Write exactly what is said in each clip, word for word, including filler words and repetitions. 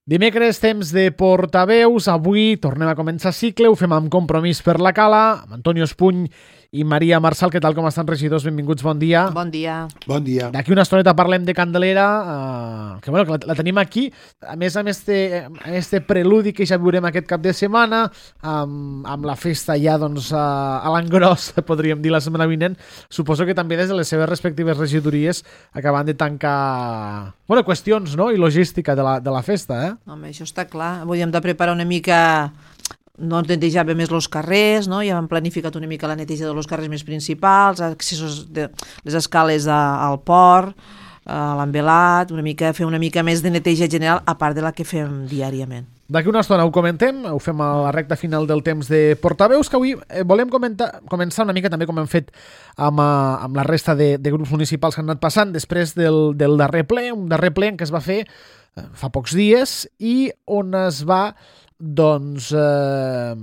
Dimecres, temps de portaveus. Avui tornem a començar cicle, ho fem amb Compromís per la Cala, amb Antonio Espuny i Maria Marçal. Què tal, com estan, regidors? Benvinguts, bon dia. Bon dia. Bon dia. D'aquí una estoneta parlem de Candelera, eh, que, bueno, que la, la tenim aquí. A més, amb este, amb este preludi que ja viurem aquest cap de setmana, amb, amb la festa ja doncs, a, a l'engròs, podríem dir, la setmana vinent, suposo que també des de les seves respectives regidories acaben de tancar, bueno, qüestions, no?, i logística de la, de la festa, eh? Home, això està clar. Avui hem de preparar una mica... No netejava més els carrers, no? Ja hem planificat una mica la neteja dels carrers més principals, accessos de les escales a, al port, a l'envelat, una mica, fer una mica més de neteja general, a part de la que fem diàriament. D'aquí una estona ho comentem, ho fem a la recta final del temps de portaveus, que avui eh, volem comentar, començar una mica també com hem fet amb, uh, amb la resta de, de grups municipals que han anat passant després del, del darrer ple, un darrer ple en què es va fer eh, fa pocs dies i on es va doncs eh,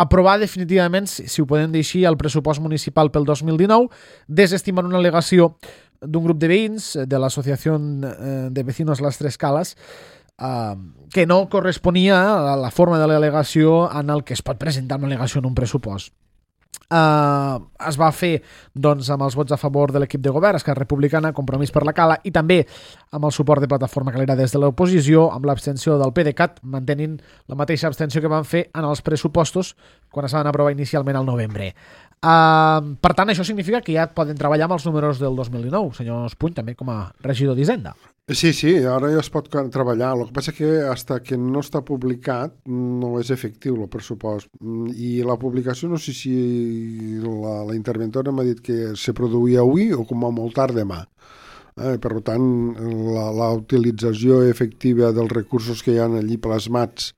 aprovar definitivament, si, si ho podem dir així, el pressupost municipal pel dos mil dinou, desestimant una al·legació d'un grup de veïns de l'Associació de Vecinos Las Tres Calas, eh, que no corresponia a la forma de l'al·legació en el que es pot presentar una al·legació en un pressupost. Uh, es va fer doncs, amb els vots a favor de l'equip de govern, Esquerra Republicana, Compromís per la Cala, i també amb el suport de Plataforma Calera des de l'oposició, amb l'abstenció del PDeCAT, mantenint la mateixa abstenció que van fer en els pressupostos quan es van aprovar inicialment al novembre. Uh, per tant, això significa que ja poden treballar amb els números del dos mil dinou, senyor Espuny, també com a regidor d'Hisenda. Sí, sí, ara ja es pot treballar. El que passa que hasta que no està publicat no és efectiu el pressupost. I la publicació, no sé si la, la interventora m'ha dit que se produïa avui o com a molt tard demà. Eh, per tant, la, la utilització efectiva dels recursos que hi ha allí plasmats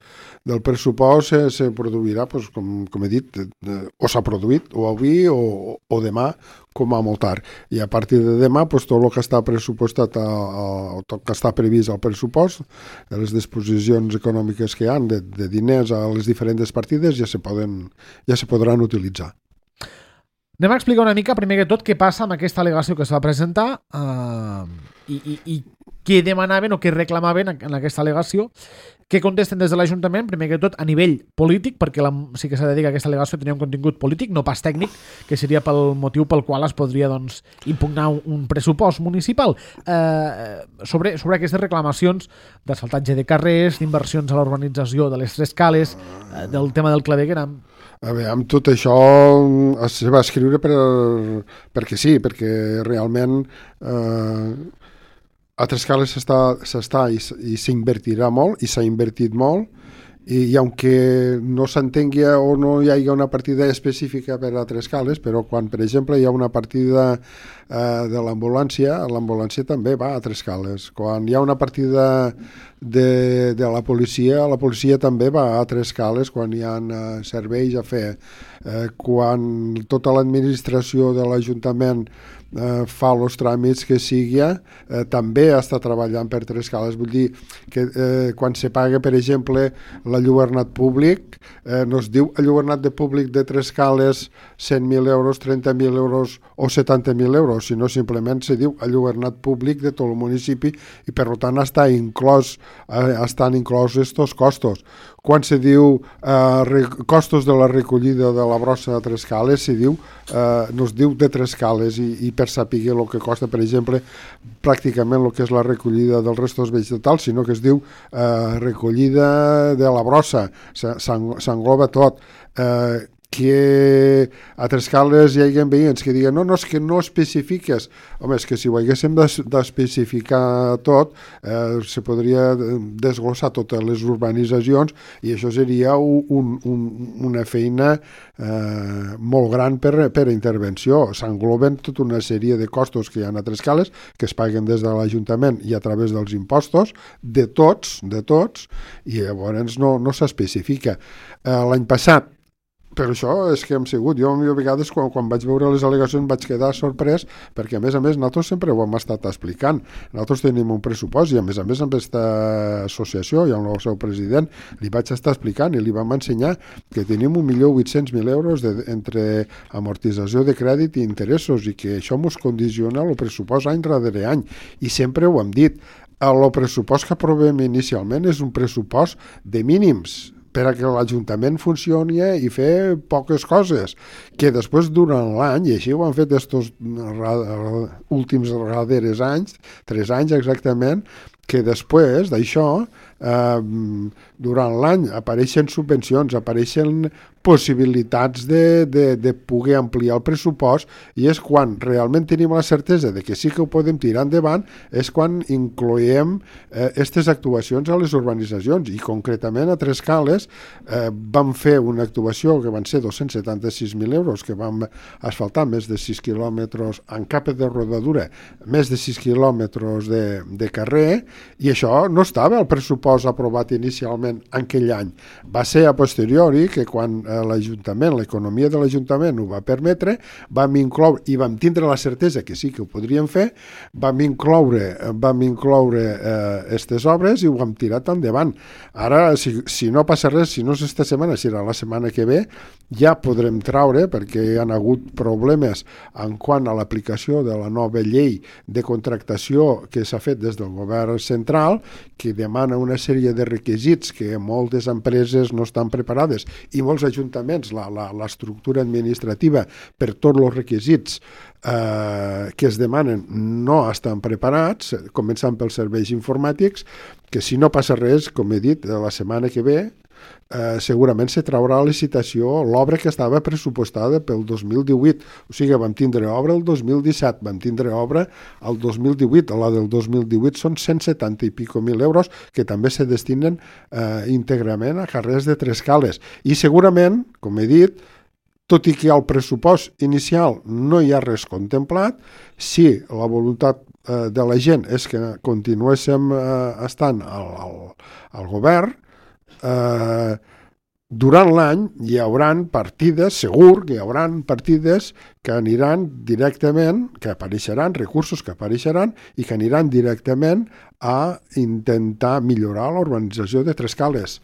del pressupost se, se produirà, doncs, com, com he dit, eh, o s'ha produït, o avui o, o demà, com a molt tard. I a partir de demà, doncs, tot el que està pressupostat, a, a, tot que està previst al pressupost, les disposicions econòmiques que hi ha de, de diners a les diferents partides ja se, poden, ja se podran utilitzar. Anem a explicar una mica, primer que tot, què passa amb aquesta al·legació que es va presentar uh, i, i, i què demanaven o què reclamaven en aquesta al·legació, què contesten des de l'Ajuntament, primer que tot a nivell polític, perquè la, sí que s'ha de dir que aquesta al·legació tenia un contingut polític, no pas tècnic, que seria pel motiu pel qual es podria doncs, impugnar un, un pressupost municipal. Uh, sobre, sobre aquestes reclamacions d'asfaltatge de carrers, d'inversions a la urbanització de les Tres Cales, uh, del tema del claveguera. A veure, amb tot això es va escriure per, perquè sí, perquè realment eh, a Tres Cales s'està, s'està i, i s'invertirà molt, i s'ha invertit molt, i, i aunque no s'entengui o no hi hagi una partida específica per a Tres Cales, però quan, per exemple, hi ha una partida eh, de l'ambulància, l'ambulància també va a Tres Cales. Quan hi ha una partida de, de la policia, la policia també va a Tres Cales quan hi ha eh, serveis a fer. Eh, quan tota l'administració de l'Ajuntament eh, fa els tràmits que sigui, eh, també està treballant per Tres Cales. Vull dir que eh, quan se paga, per exemple, l'enlluernat públic, eh, no es diu enlluernat de públic de Tres Cales cent mil euros, trenta mil euros o setanta mil euros, sinó simplement se diu enlluernat públic de tot el municipi i per tant està inclòs, eh, estan inclosos estos costos. Quan se diu eh, costos de la recollida de la brossa de Tres Cales, se diu, eh, no es diu de Tres Cales i, i per saber el que costa, per exemple, pràcticament el que és la recollida dels restos vegetals, sinó que es diu eh, recollida de la brossa, s'engloba tot. Eh, que a Tres Cales hi hagi veïns que diguen no, no, és que no especifiques. Home, és que si ho haguéssim d'especificar tot, eh, se podria desglossar totes les urbanitzacions i això seria un, un, una feina eh, molt gran per, per intervenció. S'engloben tota una sèrie de costos que hi ha a Tres Cales que es paguen des de l'Ajuntament i a través dels impostos, de tots, de tots, i llavors no, no s'especifica. Eh, l'any passat, per això és que hem sigut. Jo a vegades quan, quan vaig veure les al·legacions vaig quedar sorprès perquè a més a més nosaltres sempre ho hem estat explicant. Nosaltres tenim un pressupost i a més a més amb aquesta associació i amb el seu president li vaig estar explicant i li vam ensenyar que tenim un milió vuit-cents mil euros de, entre amortització de crèdit i interessos i que això ens condiciona el pressupost any darrere any i sempre ho hem dit. el pressupost que aprovem inicialment és un pressupost de mínims per a que l'Ajuntament funcioni i fer poques coses, que després durant l'any, i així ho han fet estos últims darreres anys, tres anys exactament, que després d'això, eh, durant l'any apareixen subvencions, apareixen possibilitats de, de, de poder ampliar el pressupost, i és quan realment tenim la certesa de que sí que ho podem tirar endavant, és quan incloem aquestes eh, actuacions a les urbanitzacions, i concretament a Trescales eh, vam fer una actuació que van ser dos-cents setanta-sis mil euros, que vam asfaltar més de sis quilòmetres en capa de rodadura, més de sis quilòmetres de, de carrer, i això no estava al pressupost aprovat inicialment en aquell any. Va ser a posteriori que quan l'Ajuntament, l'economia de l'Ajuntament ho va permetre, vam incloure, i vam tindre la certesa que sí que ho podríem fer, vam incloure vam incloure aquestes eh, obres i ho hem tirat endavant. Ara, si, si no passa res, si no és esta setmana, serà la setmana que ve, ja podrem traure, perquè hi ha hagut problemes en quant a l'aplicació de la nova llei de contractació que s'ha fet des del govern central, que demana una sèrie de requisits que moltes empreses no estan preparades, i molts ajuntaments, l'estructura administrativa per tots els requisits eh, que es demanen no estan preparats, començant pels serveis informàtics, que si no passa res, com he dit, la setmana que ve, Eh, segurament se traurà a licitació l'obra que estava pressupostada pel dos mil divuit, o sigui, vam tindre obra el dos mil disset, vam tindre obra el dos mil divuit, la del dos mil divuit són cent setanta i pico mil euros que també se destinen eh, íntegrament a carrers de Trescales, i segurament, com he dit, tot i que al pressupost inicial no hi ha res contemplat, si la voluntat eh, de la gent és que continuéssim eh, estant al, al, al govern, Uh, durant l'any hi hauran partides, segur que hi hauran partides que aniran directament, que apareixeran, recursos que apareixeran i que aniran directament a intentar millorar la urbanització de Trescales.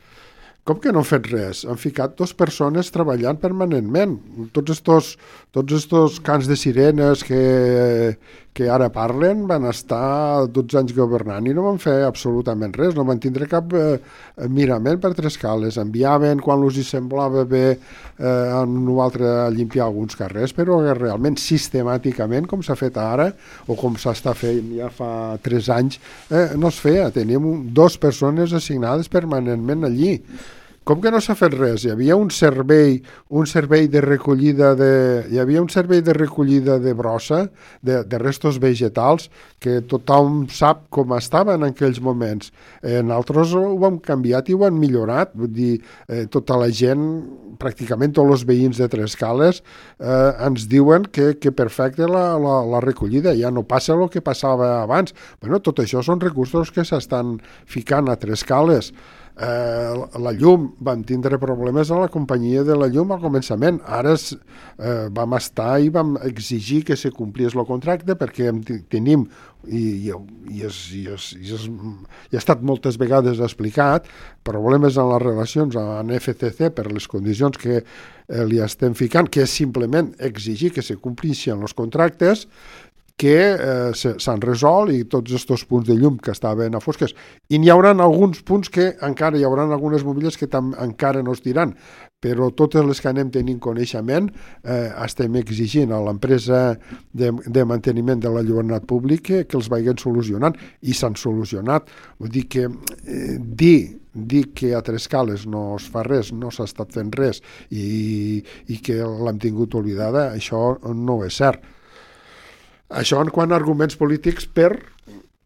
Com que no han fet res? Han ficat dues persones treballant permanentment. Tots estos, tots estos cants de sirenes que, que ara parlen van estar dotze anys governant i no van fer absolutament res, no van tindre cap eh, mirament per Trescales. Enviaven quan els hi semblava bé eh, en un altre a limpiar alguns carrers, però realment sistemàticament, com s'ha fet ara, o com s'està fent ja fa tres anys, eh, no es feia. Teníem dues persones assignades permanentment allí. Com que no s'ha fet res? Hi havia un servei, un servei de recollida de, hi havia un servei de recollida de brossa, de, de restos vegetals, que tothom sap com estava en aquells moments. Eh, nosaltres ho hem canviat i ho hem millorat. Vull dir, eh, tota la gent, pràcticament tots els veïns de Trescales, eh, ens diuen que, que perfecte la, la, la recollida, ja no passa el que passava abans. Bueno, tot això són recursos que s'estan ficant a Trescales. Eh, la llum, vam tindre problemes a la companyia de la llum al començament, ara eh, vam estar i vam exigir que se complís el contracte perquè tenim i, i, i, és, i, és, i, és, i ha estat moltes vegades explicat problemes en les relacions amb F C C per les condicions que eh, li estem ficant, que és simplement exigir que se complixin els contractes que eh, s'han resolt, i tots aquests punts de llum que estaven a fosques. I n'hi haurà alguns punts que encara hi haurà algunes bombilles que tam, encara no es diran, però totes les que anem tenint coneixement eh, estem exigint a l'empresa de, de manteniment de la llibertat pública que, que els vagin solucionant, i s'han solucionat. Vull dir que eh, dir dir que a Trescales no es fa res, no s'ha estat fent res i, i que l'hem tingut oblidada, això no és cert. Això en quant a arguments polítics per...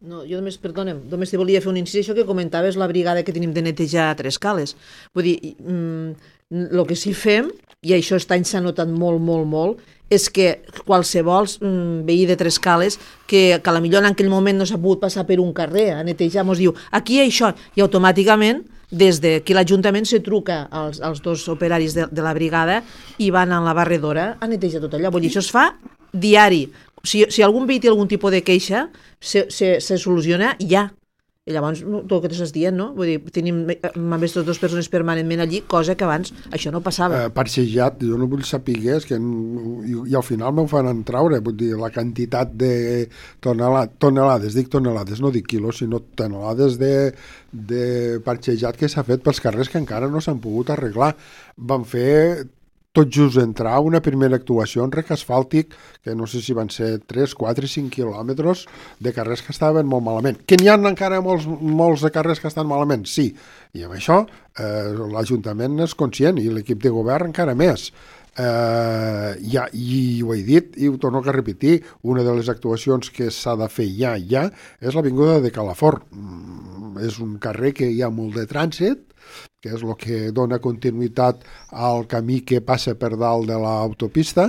No, jo només, perdona'm, només te volia fer un incís, això que comentaves, la brigada que tenim de netejar a Trescales. Vull dir, el mm, que sí fem, i això aquest any s'ha notat molt, molt, molt, és que qualsevol mm, veí de Trescales que, que a la millor en aquell moment no s'ha pogut passar per un carrer a netejar, mos diu, aquí hi ha això, i automàticament des de que l'Ajuntament se truca als, als dos operaris de, de la brigada i van a la barredora a netejar tot allò. Vull dir, això es fa diari. Si, si algun veí té algun tipus de queixa, se, se, se soluciona ja. I llavors, el que t'estàs dient, no? Vull dir, tenim aquestes dues persones permanentment allí, cosa que abans això no passava. Eh, parxejat, jo no vull saber que i, i al final m'ho fan traure, vull dir, la quantitat de tonelades, tonelades, dic tonelades, no dic quilos, sinó tonelades de, de parxejat que s'ha fet pels carrers que encara no s'han pogut arreglar. Van fer tot just entrar una primera actuació en rec asfàltic, que no sé si van ser tres, quatre, cinc quilòmetres de carrers que estaven molt malament. Que n'hi ha encara molts, molts de carrers que estan malament? Sí. I amb això eh, l'Ajuntament és conscient i l'equip de govern encara més. Eh, ja, i ho he dit i ho torno a repetir, una de les actuacions que s'ha de fer ja, ja, és l'avinguda de Calafort. Mm, és un carrer que hi ha molt de trànsit, que és el que dona continuïtat al camí que passa per dalt de l'autopista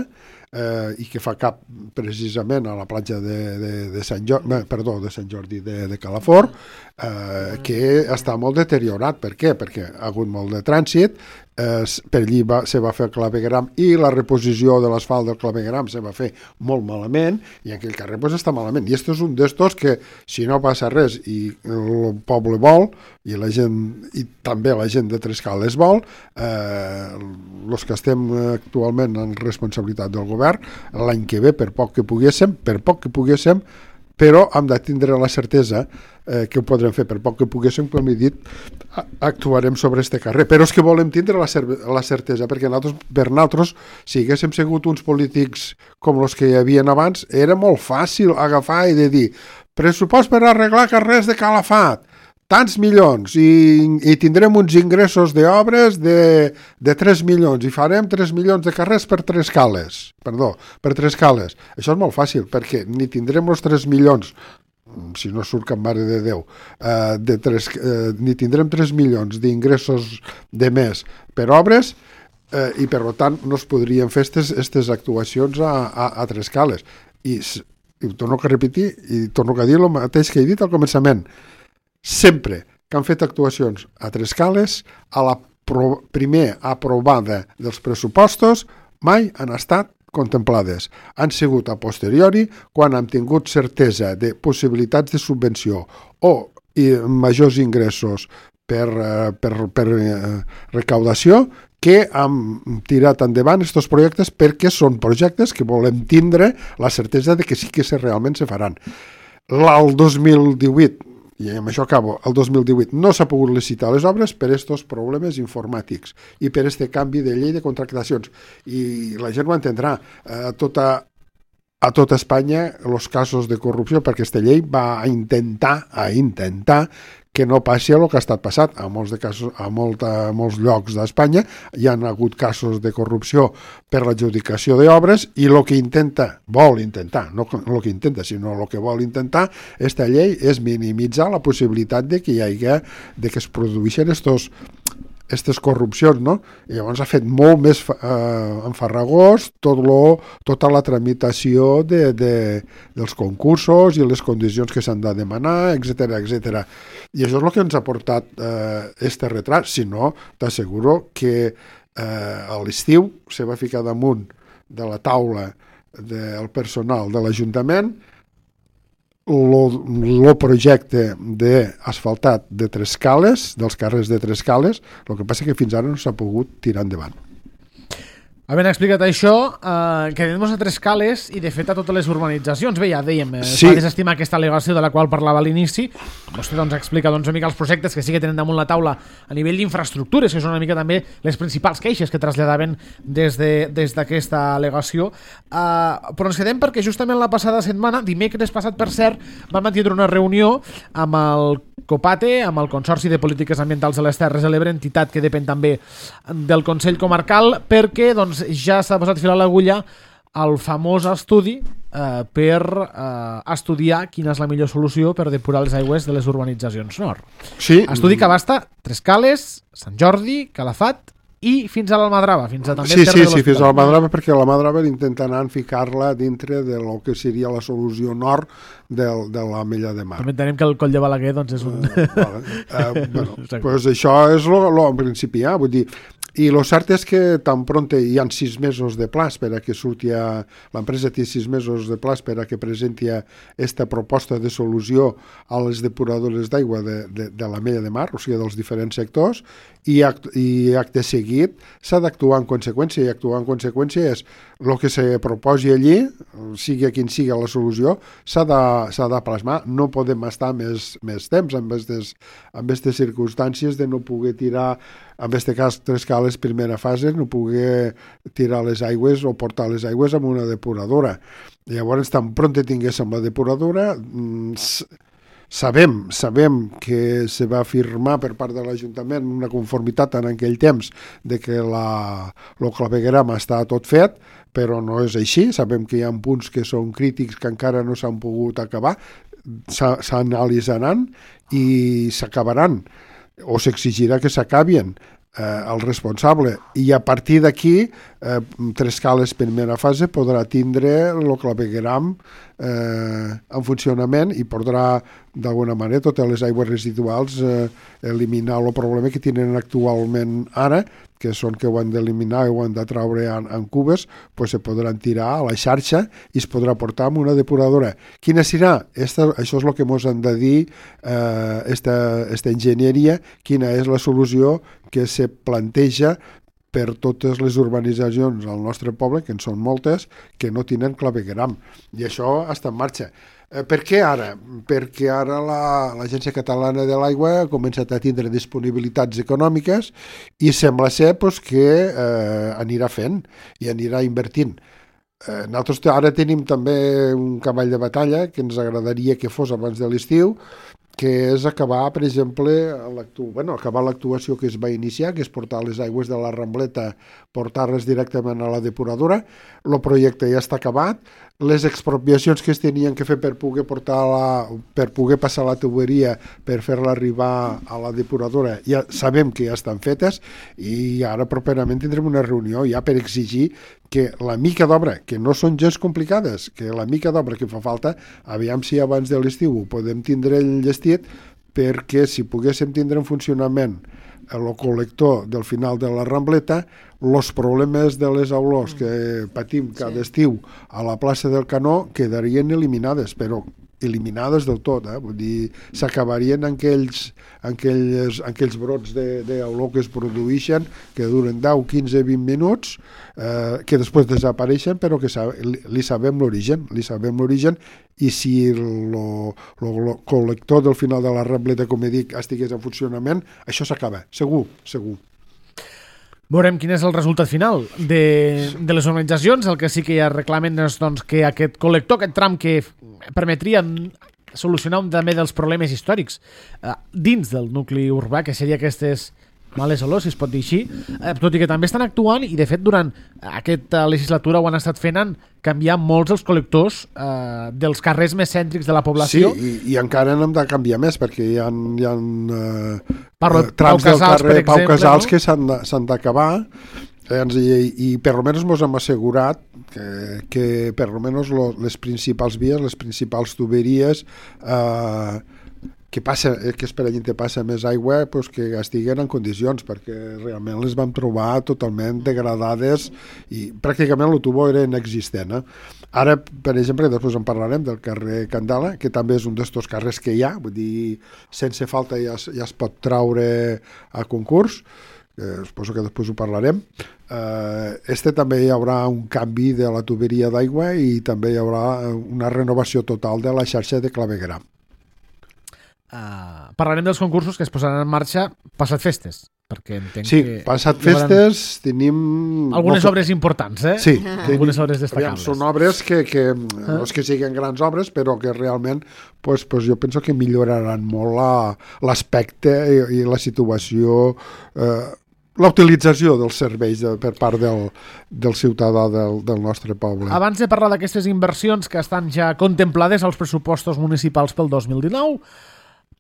eh, i que fa cap precisament a la platja de, de, de Sant Jordi, perdó, de Sant Jordi de, de Calafort, eh, que està molt deteriorat. Per què? Perquè ha hagut molt de trànsit, eh, per allí va, se va fer el clavegram i la reposició de l'asfalt del clavegram se va fer molt malament i aquell carrer pues, està malament. I aquest és un d'estos que, si no passa res i el poble vol, i la gent, i també la gent de Trescales vol, eh, els que estem actualment en responsabilitat del govern, l'any que ve, per poc que poguéssim, per poc que poguéssim, però hem de tindre la certesa eh, que ho podrem fer, per poc que poguéssim, com he dit, actuarem sobre este carrer. Però és que volem tindre la, cer la certesa, perquè nosaltres, per nosaltres, si haguéssim sigut uns polítics com els que hi havia abans, era molt fàcil agafar i de dir pressupost per arreglar carrers de Calafat, tants milions, i, i tindrem uns ingressos d'obres de, de tres milions, i farem tres milions de carrers per tres cales, perdó, per tres cales. Això és molt fàcil, perquè ni tindrem els tres milions, si no surt cap mare de Déu, eh, de tres, eh, ni tindrem tres milions d'ingressos de més per obres, eh, i per tant no es podrien fer aquestes actuacions a, a, a tres cales. I, i torno a repetir, i torno a dir el mateix que he dit al començament, sempre que han fet actuacions a Trescales, a la pro primer aprovada dels pressupostos, mai han estat contemplades. Han sigut a posteriori, quan han tingut certesa de possibilitats de subvenció o i, majors ingressos per, per, per eh, recaudació, que han tirat endavant aquests projectes perquè són projectes que volem tindre la certesa de que sí que se realment se faran. El dos mil divuit, i amb això acabo, el dos mil divuit no s'ha pogut licitar les obres per aquests problemes informàtics i per aquest canvi de llei de contractacions. I la gent ho entendrà. A tota, a tota Espanya els casos de corrupció, perquè aquesta llei va a intentar, a intentar que no passi el que ha estat passat. A molts, de casos, a molt, a molts llocs d'Espanya hi han hagut casos de corrupció per l'adjudicació d'obres i el que intenta, vol intentar, no el que intenta, sinó el que vol intentar esta llei és minimitzar la possibilitat de que hi hagi, de que es produeixin estos aquestes corrupcions, no? I llavors ha fet molt més eh, enfarragós tot lo, tota la tramitació de, de, dels concursos i les condicions que s'han de demanar, etcètera, etcètera. I això és el que ens ha portat eh, este retrat. Si no, t'asseguro que eh, a l'estiu se va ficar damunt de la taula del personal de l'Ajuntament el projecte d'asfaltat de Trescales, dels carrers de Trescales, el que passa que fins ara no s'ha pogut tirar endavant. Havent explicat això, eh, quedem-nos a Trescales i de fet a totes les urbanitzacions. Bé, ja dèiem, eh, sí. es va desestimar aquesta al·legació de la qual parlava a l'inici. Vostè doncs explica doncs, una mica els projectes que sí que tenen damunt la taula a nivell d'infraestructures, que són una mica també les principals queixes que traslladaven des de, des d'aquesta al·legació. Eh, però ens quedem perquè justament la passada setmana, dimecres passat per cert, vam mantenir una reunió amb el COPATE, amb el Consorci de Polítiques Ambientals de les Terres de l'Ebre, entitat que depèn també del Consell Comarcal, perquè doncs, ja s'ha posat fil a l'agulla el famós estudi eh, per eh, estudiar quina és la millor solució per depurar les aigües de les urbanitzacions nord. Sí. Estudi que abasta Trescales, Sant Jordi, Calafat i fins a l'Almadrava, fins a també sí, el terme sí, de sí, fins a l'Almadrava, perquè l'Almadrava intentaran ficar-la dintre de lo que seria la solució nord de, de la Mella de Mar. També entenem que el Coll de Balaguer doncs, és un... Uh, vale. uh, bueno, pues això és lo, lo, en principi, ja, vull dir, I el cert és que tan pronte hi ha sis mesos de plaç per a que surti a... L'empresa té sis mesos de plaç per a que presenti aquesta proposta de solució a les depuradores d'aigua de, de, de la Mella de Mar, o sigui, dels diferents sectors, i, act, i acte seguit s'ha d'actuar en conseqüència, i actuar en conseqüència és el que se proposi allí, sigui quin sigui la solució, s'ha de, s'ha de plasmar. No podem estar més, més temps amb aquestes, amb aquestes circumstàncies de no poder tirar, en aquest cas Trescales primera fase, no poder tirar les aigües o portar les aigües amb una depuradora. Llavors, tan pront tinguéssim la depuradora, sabem, sabem que se va afirmar per part de l'Ajuntament una conformitat en aquell temps de que la, el clavegueram està tot fet, però no és així. Sabem que hi ha punts que són crítics que encara no s'han pogut acabar, s'analitzaran i s'acabaran, o s'exigirà que s'acabin eh, el responsable, i a partir d'aquí eh, Trescales primera fase podrà tindre el clavegueram eh, en funcionament i podrà d'alguna manera totes les aigües residuals eh, eliminar el problema que tenen actualment ara, que són que ho han d'eliminar i ho han de traure en, en cubes, pues se podran tirar a la xarxa i es podrà portar amb una depuradora. Quina serà? Esta, això és el que ens han de dir eh, esta, esta enginyeria, quina és la solució que se planteja per totes les urbanitzacions al nostre poble, que en són moltes, que no tenen clavegueram. I això està en marxa. Eh, per què ara? Perquè ara l'Agència la, Catalana de l'Aigua ha començat a tindre disponibilitats econòmiques i sembla ser pues, que eh, anirà fent i anirà invertint. Eh, nosaltres ara tenim també un cavall de batalla que ens agradaria que fos abans de l'estiu, que és acabar, per exemple, bueno, acabar l'actuació que es va iniciar, que és portar les aigües de la Rambleta, portar-les directament a la depuradora. El projecte ja està acabat. Les expropiacions que es tenien que fer per poder portar la, per poder passar la tuberia per fer-la arribar a la depuradora, ja sabem que ja estan fetes, i ara properament tindrem una reunió ja per exigir que la mica d'obra, que no són gens complicades, que la mica d'obra que fa falta, aviam si abans de l'estiu ho podem tindre enllestit, perquè si poguéssim tindre en funcionament el col·lector del final de la Rambleta, els problemes de les olors que patim cada sí. estiu a la plaça del Canó quedarien eliminades, però eliminades del tot, eh? Vull dir, s'acabarien aquells, aquells, aquells brots d'olor que es produeixen, que duren deu, quinze, vint minuts, eh, que després desapareixen, però que li, li sabem l'origen, li sabem l'origen, i si el col·lector del final de la Rambleta, com he dit, estigués en funcionament, això s'acaba, segur, segur. Veurem quin és el resultat final de, de les organitzacions. El que sí que ja reclamen és doncs, que aquest col·lector, aquest tram que permetria solucionar un també dels problemes històrics eh, dins del nucli urbà, que seria aquestes males olors, si es pot dir així, eh, tot i que també estan actuant, i de fet durant aquesta legislatura ho han estat fent, en canviar molts dels col·lectors eh, dels carrers més cèntrics de la població. Sí, i, i encara n'hem de canviar més, perquè hi ha, hi ha eh, Parlo, trams Pau Casals, del carrer exemple, Pau Casals, no? que s'han d'acabar, eh, i, i per almenys ens hem assegurat que, que per almenys lo, les principals vies, les principals tuberies eh, que, passa, que es per allà passa més aigua, pues, que estiguen en condicions, perquè realment les vam trobar totalment degradades i pràcticament el tubo era inexistent. Eh? Ara, per exemple, després en parlarem del carrer Candela, que també és un d'estos carrers que hi ha, vull dir, sense falta ja, ja es pot traure a concurs, eh, suposo que després ho parlarem. Eh, este també hi haurà un canvi de la tuberia d'aigua i també hi haurà una renovació total de la xarxa de clavegueram. Uh, parlarem dels concursos que es posaran en marxa passat festes, perquè entenc sí, que... Sí, passat festes tenim... Algunes molt... obres importants, eh? Sí. Algunes obres destacables. Aviam, són obres que, que uh. no és que siguin grans obres, però que realment pues, pues jo penso que milloraran molt l'aspecte i, i la situació... Eh, la utilització dels serveis de, per part del, del ciutadà del, del nostre poble. Abans de parlar d'aquestes inversions que estan ja contemplades als pressupostos municipals pel dos mil dinou,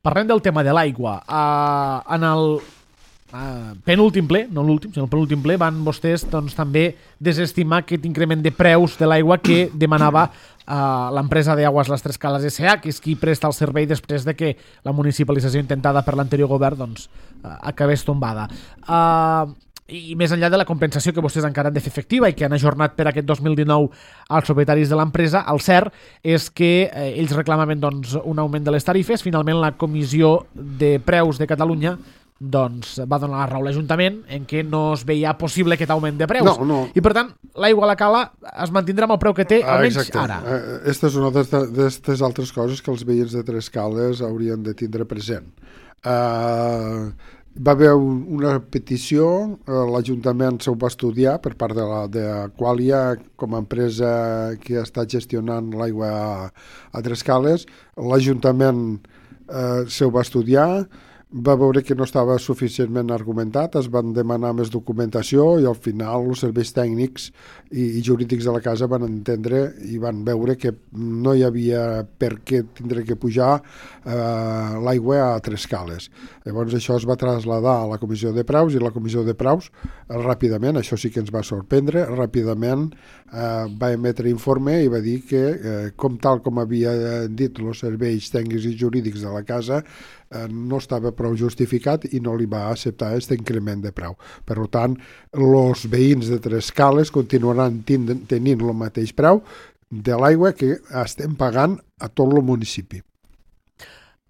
parlem del tema de l'aigua. Uh, en el uh, penúltim ple, no l'últim, sinó el penúltim ple, van vostès doncs, també desestimar aquest increment de preus de l'aigua que demanava uh, l'empresa d'Aigües Les Trescales S A, que és qui presta el servei després de que la municipalització intentada per l'anterior govern doncs, uh, acabés tombada. Uh, i més enllà de la compensació que vostès encara han de fer efectiva i que han ajornat per aquest dos mil dinou als propietaris de l'empresa, el cert és que eh, ells reclamaven doncs, un augment de les tarifes. Finalment la Comissió de Preus de Catalunya doncs, va donar la raó a l'Ajuntament en què no es veia possible aquest augment de preus. No, no. I per tant, l'aigua a la cala es mantindrà amb el preu que té, ah, almenys exacte. ara. Aquesta és una d'aquestes altres coses que els veïns de Tres Cales haurien de tindre present. Uh, va haver un, una petició, uh, l'Ajuntament s'ho va estudiar per part de, la, de Aqualia com a empresa que està gestionant l'aigua a, a Tres Cales. L'Ajuntament uh, s'ho va estudiar, va veure que no estava suficientment argumentat, es van demanar més documentació i al final els serveis tècnics i, i jurídics de la casa van entendre i van veure que no hi havia per què tindre que pujar eh, l'aigua a Tres Cales. Llavors això es va traslladar a la Comissió de Preus i la Comissió de Preus eh, ràpidament, això sí que ens va sorprendre, ràpidament eh, va emetre informe i va dir que eh, com tal com havia dit els serveis tècnics i jurídics de la casa eh, no estava prou justificat i no li va acceptar aquest increment de preu. Per tant, els veïns de Tres Cales continuaran tenint el mateix preu de l'aigua que estem pagant a tot el municipi.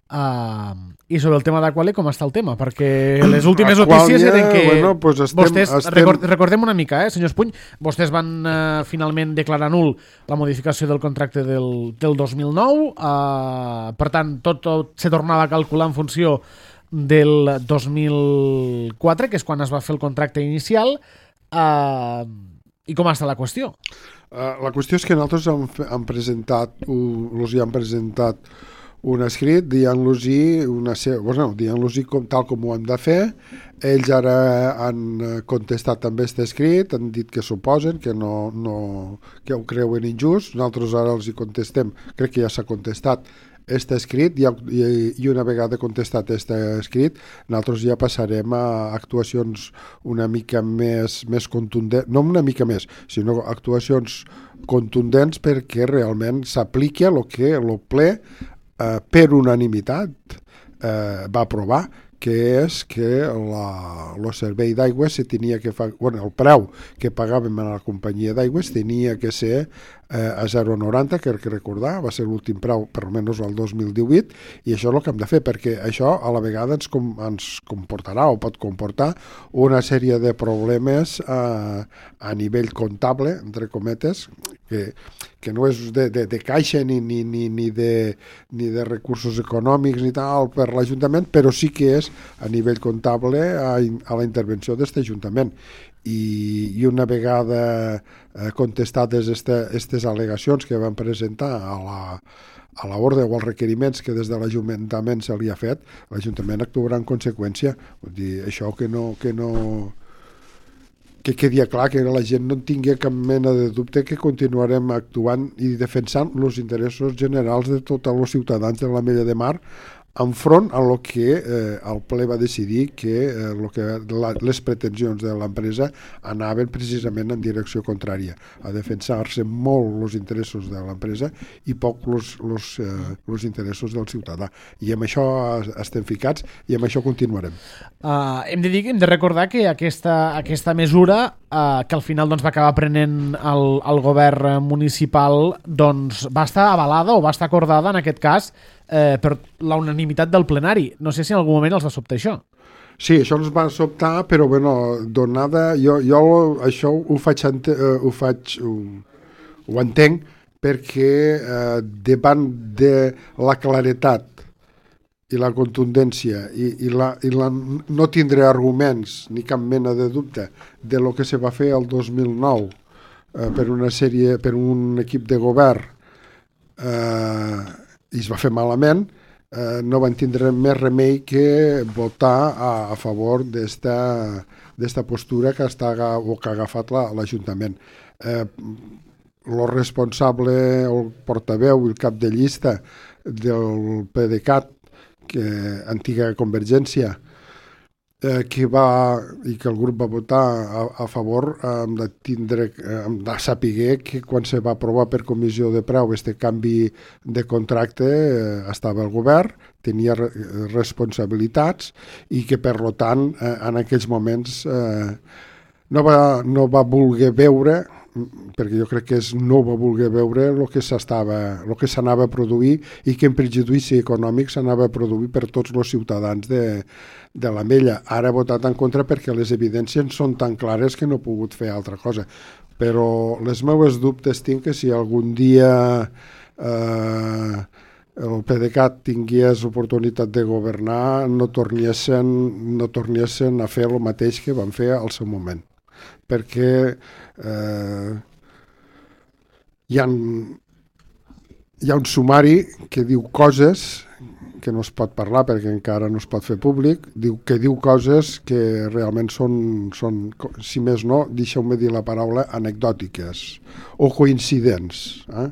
Uh, I sobre el tema d'Aqualia, com està el tema? Perquè les últimes notícies eren que bueno, pues estem, vostès, estem... record, recordem una mica, eh, senyor Espuny, vostès van uh, finalment declarar nul la modificació del contracte del, del dos mil nou, uh, per tant tot, tot se tornava a calcular en funció del dos mil quatre, que és quan es va fer el contracte inicial. Uh, i com està la qüestió? Uh, la qüestió és que nosaltres hem, hem presentat, els hi han presentat un escrit dient-los-hi una, bueno, dient-los-hi com, tal com ho hem de fer. Ells ara han contestat també aquest escrit, han dit que s'oposen, que, no, no, que ho creuen injust. Nosaltres ara els hi contestem, crec que ja s'ha contestat aquest escrit i, i una vegada contestat aquest escrit nosaltres ja passarem a actuacions una mica més, més contundents, no una mica més, sinó actuacions contundents perquè realment s'apliqui el que el ple Eh, per unanimitat eh, va aprovar, que és que la, el servei d'aigua se tenia que fa, bueno, el preu que pagàvem a la companyia d'aigües tenia que ser eh, a zero coma noranta, que que recordar, va ser l'últim preu per almenys el dos mil divuit, i això és el que hem de fer, perquè això a la vegada ens, com, ens comportarà o pot comportar una sèrie de problemes eh, a nivell comptable, entre cometes, que, que no és de, de, de caixa ni, ni, ni, ni, de, ni de recursos econòmics ni tal per l'Ajuntament, però sí que és a nivell comptable a, a la intervenció d'aquest Ajuntament. I, i una vegada eh, contestades aquestes al·legacions que van presentar a la, a l'ordre o als requeriments que des de l'Ajuntament se li ha fet, l'Ajuntament actuarà en conseqüència. Vull dir, això que no... Que no que quedi clar, que la gent no tingui cap mena de dubte que continuarem actuant i defensant els interessos generals de tots els ciutadans de l'Ametlla de Mar enfront a lo que eh, el ple va decidir que, eh, lo que la, les pretensions de l'empresa anaven precisament en direcció contrària, a defensar-se molt els interessos de l'empresa i poc els eh, interessos del ciutadà. I amb això estem ficats i amb això continuarem. Uh, hem de dir, hem de recordar que aquesta, aquesta mesura uh, que al final doncs, va acabar prenent el, el govern municipal doncs, va estar avalada o va estar acordada en aquest cas Eh, per la unanimitat del plenari. No sé si en algun moment els va sobtar això. Sí, això ens va sobtar, però bueno, donada, jo, jo això ho faig, ente, uh, ho, faig ho, ho entenc perquè eh, davant de la claretat i la contundència i, i, la, i la, no tindré arguments ni cap mena de dubte de lo que se va fer el dos mil nou eh, per una sèrie, per un equip de govern eh, i es va fer malament, eh, no van tindre més remei que votar a, a favor d'esta postura que, està, o que ha agafat l'Ajuntament. Eh, el responsable, el portaveu i el cap de llista del PDeCAT, que, antiga Convergència, eh, que va, i que el grup va votar a, a favor, eh, hem de tindre, eh, hem de saber que quan se va aprovar per comissió de preu este canvi de contracte eh, estava el govern, tenia re, responsabilitats i que per lo tant eh, en aquells moments eh, no, va, no va voler veure, perquè jo crec que és no va voler veure el que s'estava, el que s'anava a produir i que en perjudici econòmic s'anava a produir per tots els ciutadans de, de l'Ametlla. Ara ha votat en contra perquè les evidències són tan clares que no ha pogut fer altra cosa. Però les meves dubtes tinc que si algun dia eh, el PDeCAT tingués oportunitat de governar no tornessin, no tornessin a fer el mateix que van fer al seu moment. Perquè eh, hi, ha, hi ha un sumari que diu coses que no es pot parlar perquè encara no es pot fer públic, diu, que diu coses que realment són, són si més no, deixeu-me dir la paraula, anecdòtiques o coincidents. Eh?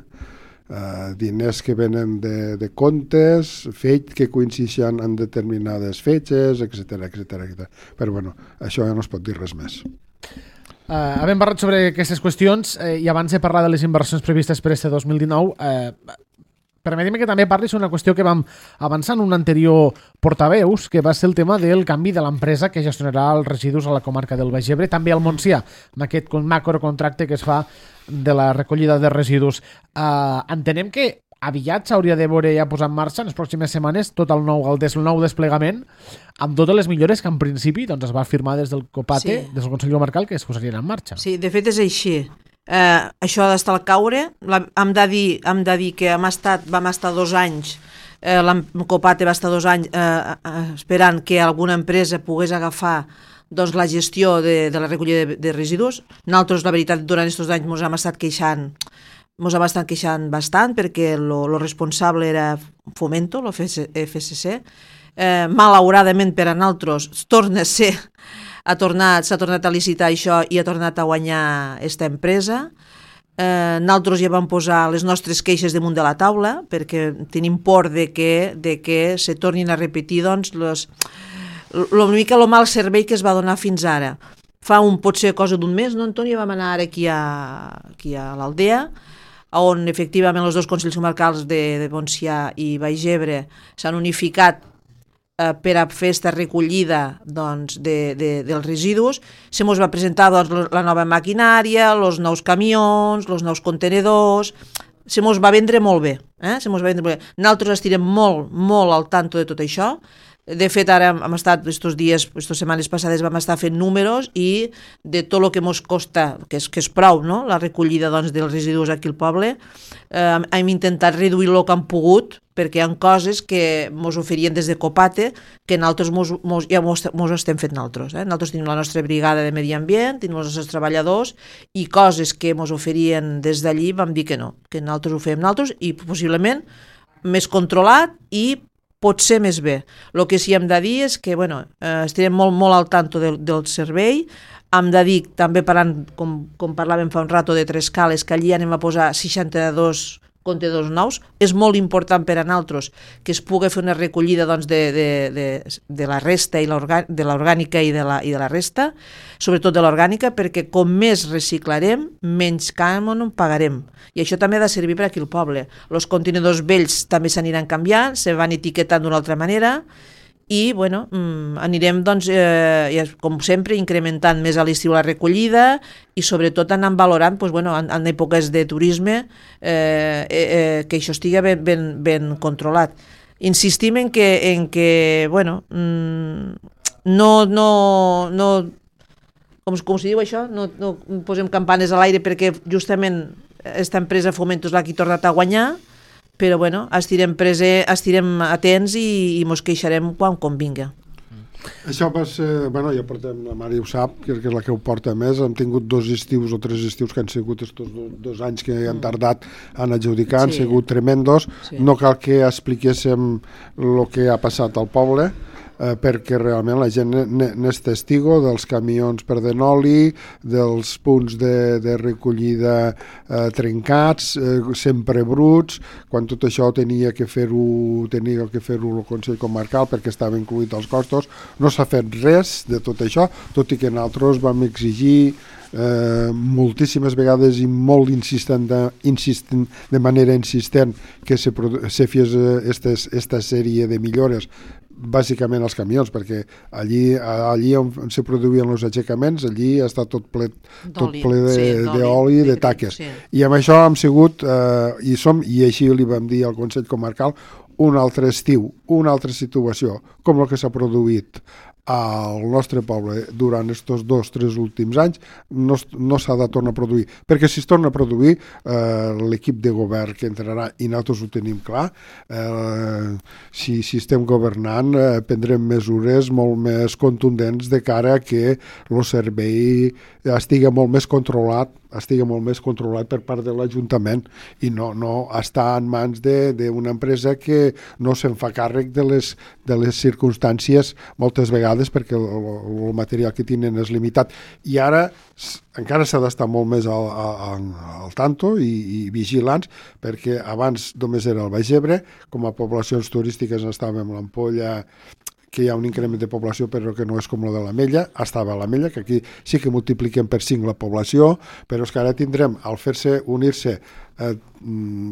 Uh, diners que venen de, de comptes, fets que coincideixen en determinades fetges, etcètera, etcètera. Però bueno, això ja no es pot dir res més. Uh, havent parlat sobre aquestes qüestions eh, i abans de parlar de les inversions previstes per este dos mil dinou, eh, permetim que també parlis una qüestió que vam avançar en un anterior portaveus, que va ser el tema del canvi de l'empresa que gestionarà els residus a la comarca del Baix Ebre, també al Montsià, amb aquest macrocontracte que es fa de la recollida de residus. Uh, entenem que aviat s'hauria de veure ja posar en marxa en les pròximes setmanes tot el nou, el, des, el nou desplegament amb totes les millores que en principi doncs, es va firmar des del COPATE, sí. Des del Consell Comarcal, que es posarien en marxa. Sí, de fet és així. Eh, això ha d'estar al caure. La, hem, de dir, hem de dir que hem estat, vam estar dos anys, eh, el COPATE va estar dos anys eh, eh, esperant que alguna empresa pogués agafar doncs, la gestió de, de la recollida de, de residus. Nosaltres, la veritat, durant aquests anys ens hem estat queixant ens hem estat queixant bastant perquè lo responsable era Fomento, lo F C C. Eh, malauradament per a nosaltres torna a ser ha tornat, s'ha tornat a licitar això i ha tornat a guanyar aquesta empresa. Eh, nosaltres ja vam posar les nostres queixes damunt de la taula perquè tenim por de que, de que se tornin a repetir doncs, los, lo, una mica el mal servei que es va donar fins ara. Fa un potser cosa d'un mes, no, Antoni? Vam anar ara aquí a, aquí a l'Aldea, on efectivament els dos consells comarcals de, de Montsià i Baix Ebre s'han unificat eh, per a fer aquesta recollida doncs, de, de, dels residus. Se mos va presentar doncs, la nova maquinària, els nous camions, els nous contenedors. Se mos va vendre molt bé. Eh? Se mos va vendre molt bé. Nosaltres estirem molt, molt al tanto de tot això. De fet, ara hem estat, estos dies, aquestes setmanes passades, vam estar fent números i de tot el que ens costa, que és, que és prou, no?, la recollida doncs, dels residus aquí al poble, eh, hem intentat reduir el que hem pogut, perquè hi ha coses que ens oferien des de COPATE que nosaltres mos, mos, ja mos, mos estem fent nosaltres. Eh? Nosaltres tenim la nostra brigada de medi ambient, tenim els nostres treballadors, i coses que ens oferien des d'allí vam dir que no, que nosaltres ho fem nosaltres i possiblement més controlat i potser més bé. El que sí hem de dir és que bueno, eh, estarem molt, molt al tanto del, del servei. Hem de dir, també parlant, com, com parlàvem fa un rato de Trescales, que allí anem a posar seixanta-dos contenidors nous. És molt important per a nosaltres que es pugui fer una recollida doncs, de, de, de, de la resta i de l'orgànica i, de la, i de la resta, sobretot de l'orgànica, perquè com més reciclarem, menys cànon pagarem. I això també ha de servir per aquí al poble. Els contenidors vells també s'aniran canviant, se van etiquetant d'una altra manera i bueno, mmm, anirem doncs, eh, com sempre incrementant més a l'estiu la recollida i sobretot anant valorant doncs, bueno, en, en èpoques de turisme eh, eh, que això estigui ben, ben, ben controlat. Insistim en que, en que bueno, mmm, no, no, no com, com s'hi diu això, no, no posem campanes a l'aire perquè justament aquesta empresa Fomento és la que ha tornat a guanyar, però bueno, estirem, prese, estirem atents i, i mos queixarem quan convinga. Això va ser, bueno, ja portem, la Mari ho sap, que és la que ho porta més, hem tingut dos estius o tres estius que han sigut estos dos, dos anys que han tardat en adjudicar, sí. Han sigut tremendos, sí. No cal que expliquéssim el que ha passat al poble, eh, perquè realment la gent n'és testigo dels camions perdent oli, dels punts de, de recollida eh, trencats, eh, sempre bruts, quan tot això tenia que fer-ho tenia que fer-ho el Consell Comarcal perquè estava incluït als costos. No s'ha fet res de tot això, tot i que nosaltres vam exigir eh, moltíssimes vegades i molt insistent de, insistent, de manera insistent que se, se fes aquesta sèrie de millores, bàsicament els camions, perquè allí, allí on se produïen els aixecaments, allí està tot ple, tot ple d'oli i de taques. Sí. I amb això hem sigut, eh, i som, i així li vam dir al Consell Comarcal, un altre estiu, una altra situació, com el que s'ha produït al nostre poble durant aquests dos, tres últims anys, no, no s'ha de tornar a produir, perquè si es torna a produir eh, l'equip de govern que entrarà, i nosaltres ho tenim clar, eh, si, si estem governant eh, prendrem mesures molt més contundents de cara a que el servei estigui molt més controlat estigui molt més controlat per part de l'Ajuntament i no, no està en mans d'una empresa que no se'n fa càrrec de les, de les circumstàncies moltes vegades perquè el, el material que tenen és limitat. I ara encara s'ha d'estar molt més al, al, al tanto i, i vigilants perquè abans només era el Baix Ebre, com a poblacions turístiques estàvem a l'Ampolla, que hi ha un increment de població però que no és com la de l'Ametlla, estava a l'Ametlla, que aquí sí que multipliquem per cinc la població, però és que ara tindrem, al fer-se, unir-se eh,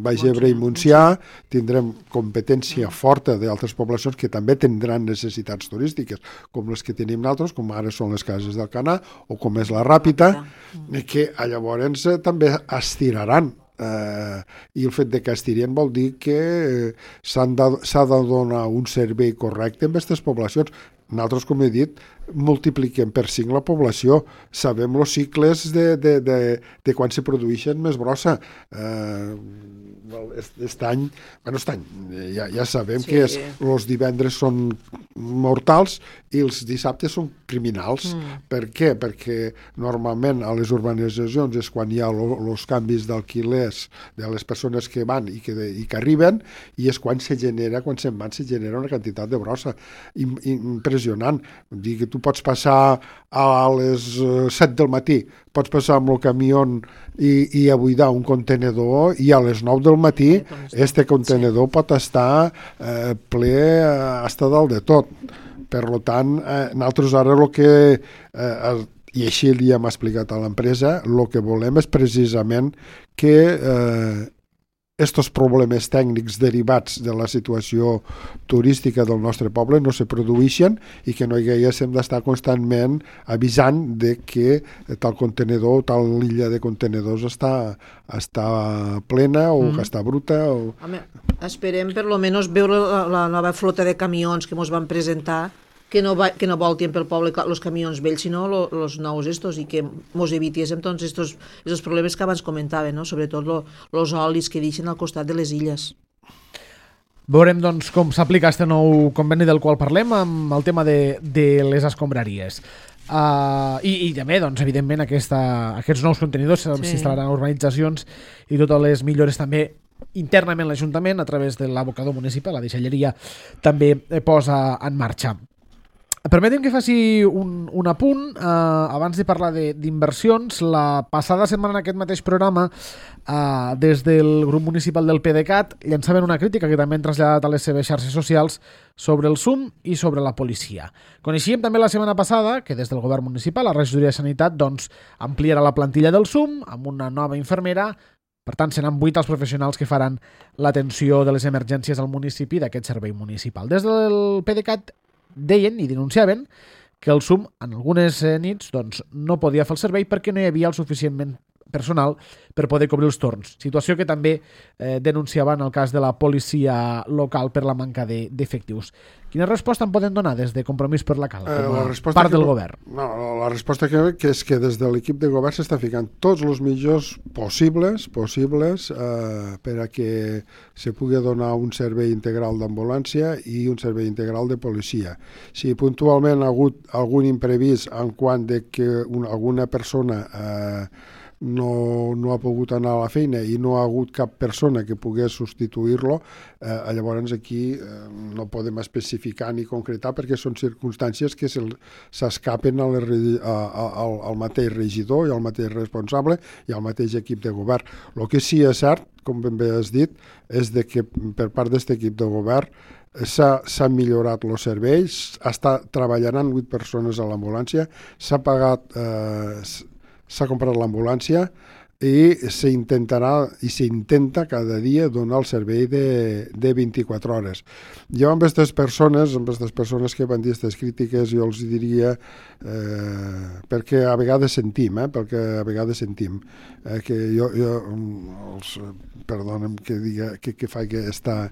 Baix Ebre i Montsià, tindrem competència forta d'altres poblacions que també tindran necessitats turístiques, com les que tenim nosaltres, com ara són les cases del Canà, o com és la Ràpita, que llavors eh, també estiraran. Uh, i el fet de que estirien vol dir que uh, s'ha de, de donar un servei correcte amb aquestes poblacions. Nosaltres, com he dit, multipliquem per cinc la població, sabem els cicles de, de, de, de quan se produeixen més brossa. Uh, aquest any, bueno, aquest any ja, ja sabem sí. que és, els divendres són mortals i els dissabtes són criminals. Mm. Per què? Perquè normalment a les urbanitzacions és quan hi ha els canvis d'alquilers de les persones que van i que, i que arriben, i és quan se genera, quan se'n van, se genera una quantitat de brossa impressionant. Dir que tu pots passar a les set del matí, pots passar amb el camió i, i a buidar un contenedor i a les nou del matí este contenedor sí. pot estar eh, ple hasta dalt de tot. Per tant, eh, nosaltres ara el que, eh, i així li hem explicat a l'empresa, el que volem és precisament que eh, estos problemes tècnics derivats de la situació turística del nostre poble no se produeixen i que no hi haguéssim d'estar constantment avisant de que tal contenedor, tal illa de contenedors està, està plena o mm. que està bruta. O... Home, esperem per lo menos veure la, la nova flota de camions que ens van presentar, que no, va, que no voltien pel poble els camions vells, sinó els nous estos, i que ens evitéssim doncs estos, estos problemes que abans comentaven, no? Sobretot els olis que deixen al costat de les illes. Veurem doncs com s'aplica aquest nou conveni del qual parlem amb el tema de, de les escombraries. Uh, i, i també, doncs, evidentment, aquesta, aquests nous contenidors s'instal·laran a urbanitzacions i totes les millores també internament l'Ajuntament a través de l'abocador municipal, la deixalleria també posa en marxa. Permetem que faci un, un apunt eh, abans de parlar d'inversions. La passada setmana en aquest mateix programa eh, des del grup municipal del PDeCAT llançaven una crítica que també han traslladat a les seves xarxes socials sobre el S U M i sobre la policia. Coneixíem també la setmana passada que des del govern municipal la regidoria de Sanitat doncs, ampliarà la plantilla del S U M amb una nova infermera. Per tant, seran vuit els professionals que faran l'atenció de les emergències al municipi d'aquest servei municipal. Des del PDeCAT deien i denunciaven que el S U M en algunes nits doncs, no podia fer el servei perquè no hi havia el suficientment personal per poder cobrir els torns. Situació que també eh, denunciava en el cas de la policia local per la manca d'efectius. De, Quina resposta en poden donar des de Compromís per la Cal, com a eh, part del que, govern? No, la resposta que, que és que des de l'equip de govern s'està ficant tots els millors possibles possibles eh, per a que se pugui donar un servei integral d'ambulància i un servei integral de policia. Si puntualment ha hagut algun imprevist en quant de que una, alguna persona eh, no, no ha pogut anar a la feina i no ha hagut cap persona que pogués substituir-lo, eh, llavors aquí eh, no podem especificar ni concretar perquè són circumstàncies que s'escapen al, al, al mateix regidor i al mateix responsable i al mateix equip de govern. El que sí és cert, com ben bé has dit, és de que per part d'aquest equip de govern s'ha millorat els serveis, està treballant vuit persones a l'ambulància, s'ha pagat, eh, s'ha comprat l'ambulància i s'intentarà i s'intenta cada dia donar el servei de, de vint-i-quatre hores. Jo amb aquestes persones, amb aquestes persones que van dir aquestes crítiques, jo els diria eh, perquè a vegades sentim, eh, perquè a vegades sentim eh, que jo, jo els, perdona'm que diga que, que fa aquesta,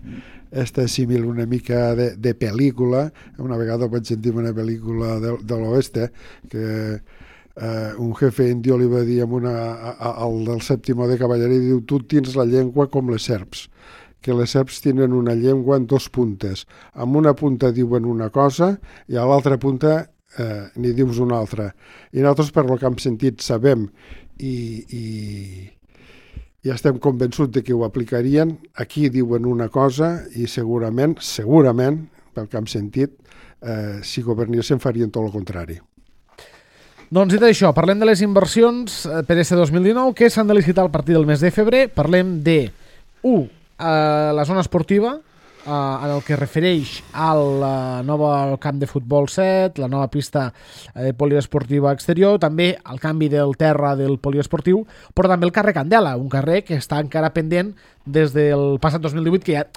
aquesta símil una mica de, de pel·lícula. Una vegada vaig sentir una pel·lícula de, de l'oeste que Uh, un jefe indio li va dir amb una, a, a, al del sèptimo de cavalleria, diu, tu tens la llengua com les serps, que les serps tenen una llengua en dos puntes. Amb una punta diuen una cosa i a l'altra punta eh, n'hi dius una altra. I nosaltres, per lo que hem sentit, sabem i, i, i estem convençuts de que ho aplicarien. Aquí diuen una cosa i segurament, segurament, pel que hem sentit, eh, si governessin farien tot el contrari. Doncs dit això, parlem de les inversions per este dos mil dinou que s'han de licitar a partir del mes de febrer. Parlem de, u, eh, la zona esportiva, eh, en el que refereix al nou camp de futbol set, la nova pista eh, poliesportiva exterior, també el canvi del terra del poliesportiu, però també el carrer Candela, un carrer que està encara pendent des del passat dos mil divuit, que ja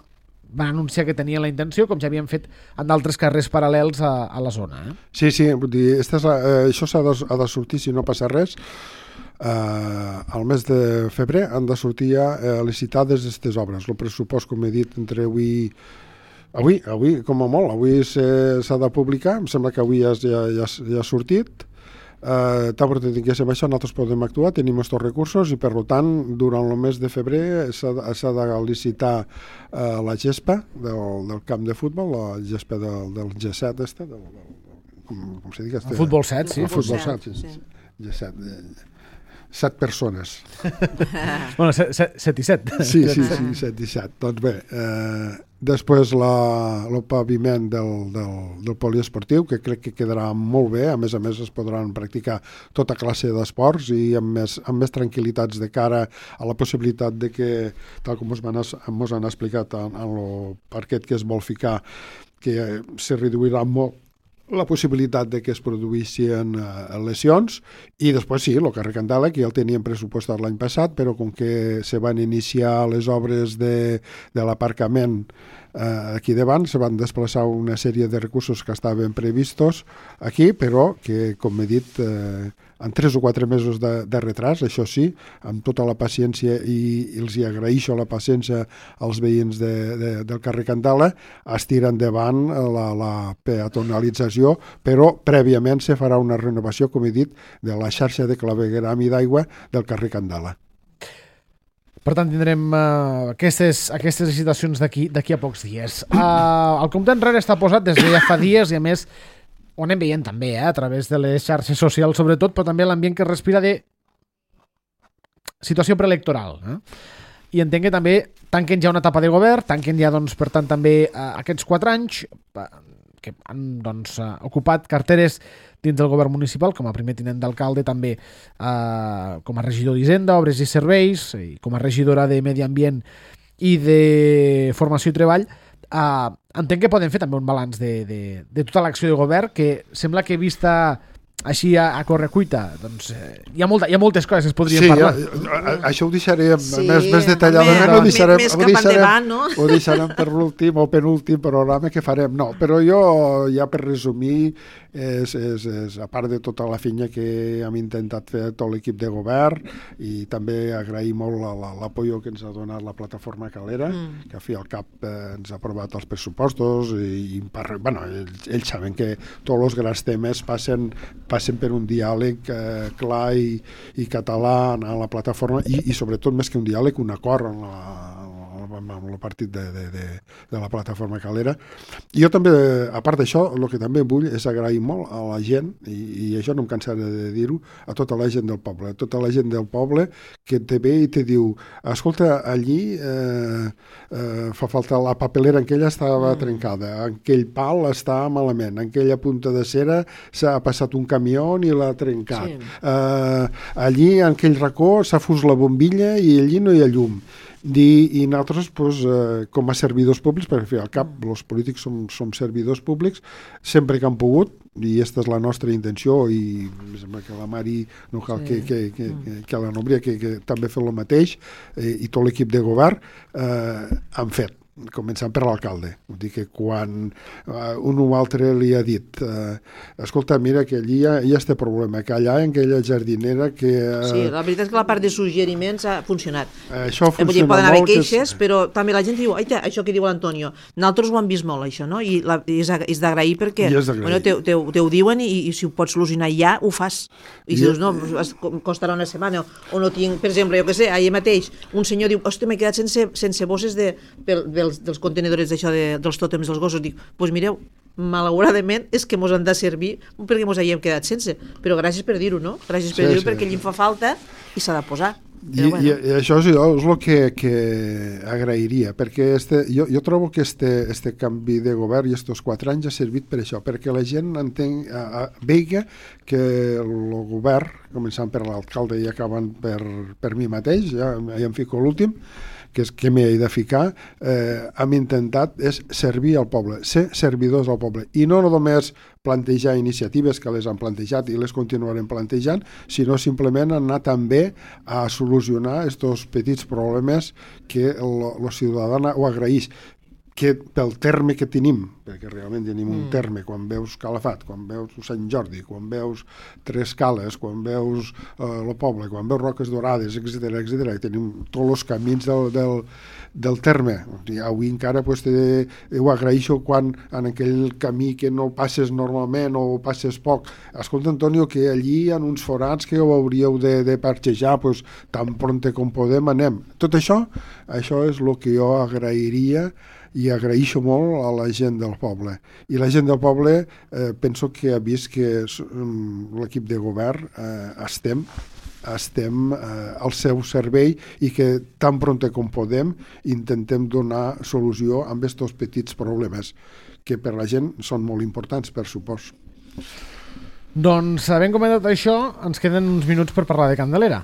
van anunciar que tenien la intenció, com ja havien fet en d'altres carrers paral·lels a, a la zona. Eh? Sí, sí, vull dir, esta és la, eh, això s'ha de, ha de sortir, si no passa res, eh, al mes de febrer han de sortir ja eh, licitades aquestes obres. El pressupost, com he dit, entre avui... Avui, avui com a molt, avui s'ha de publicar, em sembla que avui ja, ja, ja, ja ha sortit. Uh, tant que tinguéssim això, nosaltres podem actuar, tenim aquests recursos i, per tant, durant el mes de febrer s'ha de licitar uh, la gespa del, del camp de futbol, la gespa del, del G set, este, del, del, com, com se diu? El futbol set, sí. El futbol set, sí. sí. G set, eh, set persones. bueno, set, set, set i set. Sí, sí, sí, set i set. Doncs bé, eh, després la, el paviment del, del, del poliesportiu, que crec que quedarà molt bé, a més a més es podran practicar tota classe d'esports i amb més, amb més tranquil·litats de cara a la possibilitat de que, tal com ens han explicat en, en el parquet que es vol ficar, que se reduirà molt la possibilitat de que es produïssin uh, lesions i després sí, el carrer Candela, que ja el teníem pressupostat l'any passat, però com que se van iniciar les obres de, de l'aparcament uh, aquí davant, se van desplaçar una sèrie de recursos que estaven previstos aquí, però que, com he dit, uh, en tres o quatre mesos de, de retras, això sí, amb tota la paciència i, i els hi agraeixo la paciència als veïns de, de, del carrer Candela, es tira endavant la, la peatonalització, però prèviament se farà una renovació, com he dit, de la xarxa de clavegueram i d'aigua del carrer Candela. Per tant, tindrem uh, aquestes, aquestes licitacions d'aquí d'aquí a pocs dies. Uh, el compte enrere està posat des de ja fa dies i, a més, ho anem veient també, eh, a través de les xarxes socials, sobretot, però també l'ambient que respira de situació preelectoral. Eh? I entenc que també tanquen ja una etapa de govern, tanquen ja, doncs, per tant, també eh, aquests quatre anys eh, que han doncs, eh, ocupat carteres dins del govern municipal, com a primer tinent d'alcalde, també eh, com a regidor d'Hisenda, Obres i Serveis, i com a regidora de Medi Ambient i de Formació i Treball. Uh, entenc que poden fer també un balanç de, de, de tota l'acció de govern, que sembla que vista així a, a correcuita, doncs eh, hi, ha molta, hi ha moltes coses que es podrien sí, parlar. Sí, això ho deixarem sí, més, més detalladament. Home, ho deixarem, més ho cap deixarem, endavant, no? Ho deixarem per l'últim o penúltim programa que farem. No, però jo, ja per resumir, és, és, és, a part de tota la feina que hem intentat fer tot l'equip de govern, i també agrair molt l'apoyo que ens ha donat la plataforma Calera, mm. que a fi al cap eh, ens ha aprovat els pressupostos i, i bueno, ells, ells saben que tots els grans temes passen, passen per un diàleg eh, clar i, i català a la plataforma i, i sobretot més que un diàleg, un acord en la amb, amb el partit de, de, de, de la plataforma Calera. I jo també, a part d'això, el que també vull és agrair molt a la gent, i, i això no em cansaré de dir-ho, a tota la gent del poble, a tota la gent del poble que te ve i te diu, escolta, allí eh, eh, fa falta la papelera, en aquella estava mm. trencada, aquell pal està malament, en aquella punta de cera s'ha passat un camió i l'ha trencat. Sí. Eh, allí, en aquell racó, s'ha fus la bombilla i allí no hi ha llum. I, i nosaltres, pues, eh, com a servidors públics, perquè al cap els polítics som, som servidors públics, sempre que han pogut, i aquesta és la nostra intenció, i em sembla que la Mari no cal sí. que, que, que, que, que la Núria, que, que també ha fet el mateix, eh, i tot l'equip de govern eh, han fet, començant per l'alcalde. Vull dir que quan uh, un o altre li ha dit uh, escolta, mira que allí hi ha, hi ha este problema, que allà en aquella jardinera que... Uh, sí, la veritat és que la part de suggeriments ha funcionat. Uh, això funciona dir, poden haver queixes, que... però també la gent diu, aita, això que diu l'Antonio, nosaltres ho hem vist molt, això, no? I, la, i és, és d'agrair perquè bueno, te, te, te ho diuen i, i si ho pots solucionar ja, ho fas. I si I... dius, no, costarà una setmana, o no tinc, per exemple, jo què sé, ahir mateix, un senyor diu, hòstia, m'he quedat sense, sense bosses de, pel, dels, dels contenedors d'això de, dels tòtems dels gossos. Dic, doncs pues mireu, malauradament és que mos han de servir perquè mos havíem quedat sense, però gràcies per dir-ho, no? Gràcies per sí, dir-ho sí, perquè allí em fa falta i s'ha de posar. I, bueno. i, i això és, és el que, que agrairia, perquè este, jo, jo trobo que este, este canvi de govern i estos quatre anys ha servit per això, perquè la gent entén, a, a, veiga que el govern, començant per l'alcalde i acabant per, per mi mateix, ja, ja em fico l'últim, que és que m'he de ficar, eh, hem intentat és servir al poble, ser servidors al poble, i no només plantejar iniciatives que les han plantejat i les continuarem plantejant, sinó simplement anar també a solucionar aquests petits problemes que el ciutadà ho agraeix, que pel terme que tenim, perquè realment tenim un terme, quan veus Calafat, quan veus Sant Jordi, quan veus Tres Cales, quan veus eh, el poble, quan veus Roques Dorades, etcètera, etcètera, tenim tots els camins del, del, del terme. I avui encara pues, te, ho agraeixo quan en aquell camí que no passes normalment o passes poc. Escolta, Antonio, que allí hi ha uns forats que ho hauríeu de, de parxejar, pues, tan pronte com podem anem. Tot això, això és el que jo agrairia i agraeixo molt a la gent del poble. I la gent del poble eh, penso que ha vist que um, l'equip de govern eh, estem estem eh, al seu servei i que tan pronte com podem intentem donar solució a aquests petits problemes que per la gent són molt importants, per supòs. Doncs, havent comentat això, ens queden uns minuts per parlar de Candelera,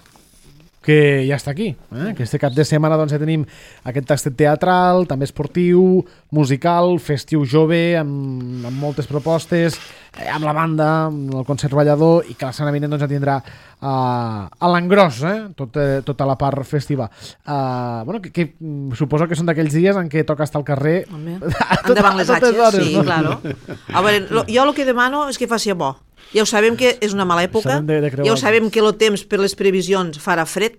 que ja està aquí, eh? Que este cap de setmana doncs, ja tenim aquest tastet teatral, també esportiu, musical, festiu jove, amb, amb moltes propostes, eh, amb la banda, amb el concert ballador, i que la setmana vinent doncs, ja tindrà uh, a l'engròs, eh? Tot, eh, tota la part festiva. Uh, bueno, que, que suposo que són d'aquells dies en què toca estar al carrer endavant les atxes, sí, no? Claro. A veure, lo, jo el que demano és que faci bo. Ja ho sabem que és una mala època, de, de ja ho sabem que el temps per les previsions farà fred,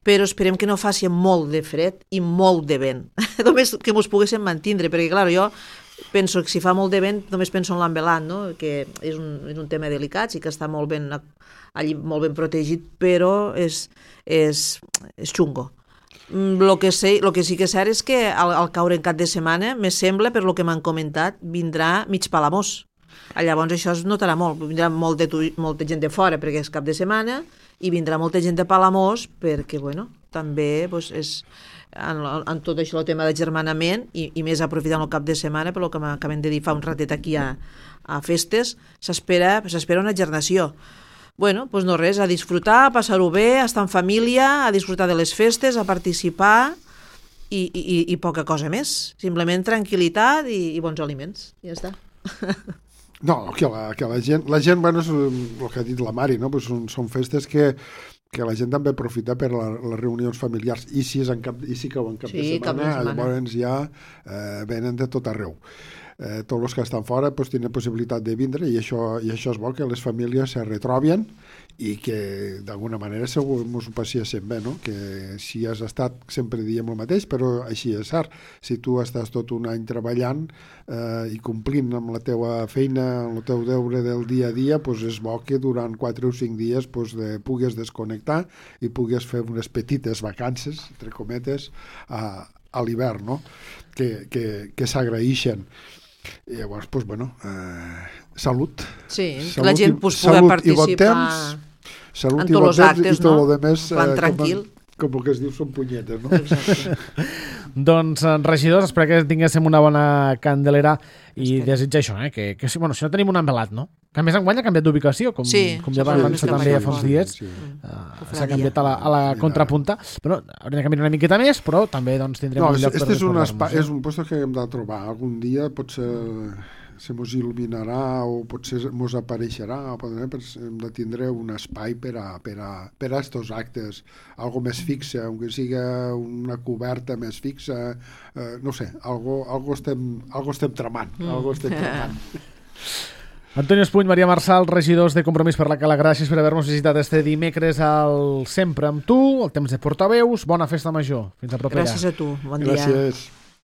però esperem que no faci molt de fred i molt de vent. Només que mos poguéssim mantindre, perquè clar, jo penso que si fa molt de vent només penso en l'ambulant, no? Que és un, és un tema delicat, sí que està molt ben, allí molt ben protegit, però és, és, és xungo. El que, sé, lo que sí que és cert és que al, al caure en cap de setmana, me sembla, per lo que m'han comentat, vindrà mig Palamós. Llavors això es notarà molt, vindrà molt de, molta gent de fora perquè és cap de setmana i vindrà molta gent de Palamós perquè, bueno, també pues, és en, en tot això el tema d'agermanament i, i més aprofitant el cap de setmana, per el que m'acabem de dir fa un ratet aquí a, a festes, s'espera s'espera una gernació. Bueno, doncs no res, a disfrutar, a passar-ho bé, a estar en família, a disfrutar de les festes, a participar i, i, i poca cosa més. Simplement tranquil·litat i, i bons aliments. Ja està. No, que la, que la gent, la gent, bueno, és el que ha dit la Mari, no? Pues són, són festes que, que la gent també aprofita per la, les reunions familiars, i si, és en cap, i si cau en cap, sí, de setmana, cap de setmana, llavors ja eh, venen de tot arreu. Eh, tots els que estan fora pues, tenen possibilitat de vindre i això, i això és bo, que les famílies se retroben i que d'alguna manera segur ens ho passéssim bé, no? Que si has estat, sempre diem el mateix, però així és cert. Si tu estàs tot un any treballant eh, i complint amb la teua feina, amb el teu deure del dia a dia, pues és bo que durant quatre o cinc dies pues, de, pugues desconnectar i pugues fer unes petites vacances, entre cometes, a a l'hivern, no? que, que, que s'agraeixen. I llavors, doncs, bueno, eh, salut. Sí, salut, que la gent pues, pugui participar bon temps, salut en i bon tots els temps, actes, i tot no? lo demés, En plan eh, tranquil. Com, com el que es diu són punyetes, no? Exacte. Doncs, regidors, espero que tinguéssim una bona candelera i Espero. desitja això, eh? que, que si, bueno, si no tenim un envelat, no? Que a més enguany ha canviat d'ubicació, com, Sí, com ja sí, va sí, avançar sí, també sí, fa uns sí, dies. sí. Uh, Que s'ha canviat a la, a la Mira. contrapunta. Però hauríem de caminar una miqueta més, però també doncs, tindrem No, un és, lloc per este és un, recordar-nos. espai, és un lloc que hem de trobar. Algun dia potser se mos il·luminarà o potser mos apareixerà, o potser hem de tindre un espai per a, per a, per a estos actes, algo més fixe, aunque siga una coberta més fixa, eh, no sé, algo, algo, estem, algo estem tramant, mm. algo estem tramant. Antonio Espuny, Maria Marçal, regidors de Compromís per la Cala, gràcies per haver-nos visitat este dimecres al Sempre amb tu, el temps de portaveus, bona festa major. Fins a propera. Gràcies a tu, bon dia. Gràcies.